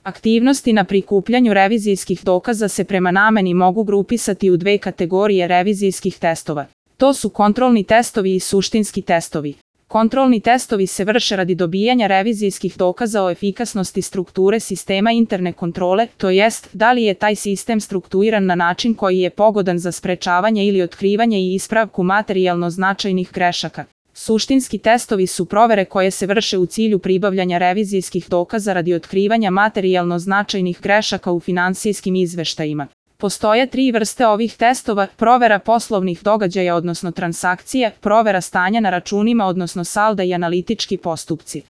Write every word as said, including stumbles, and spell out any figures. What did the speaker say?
Aktivnosti na prikupljanju revizijskih dokaza se prema nameni mogu grupisati u dve kategorije revizijskih testova. To su kontrolni testovi i suštinski testovi. Kontrolni testovi se vrše radi dobijanja revizijskih dokaza o efikasnosti strukture sistema interne kontrole, to jest da li je taj sistem strukturiran na način koji je pogodan za sprečavanje ili otkrivanje i ispravku materijalno značajnih grešaka. Suštinski testovi su provere koje se vrše u cilju pribavljanja revizijskih dokaza radi otkrivanja materijalno značajnih grešaka u finansijskim izveštajima. Postoje tri vrste ovih testova: provera poslovnih događaja odnosno transakcija, provera stanja na računima odnosno salda i analitički postupci.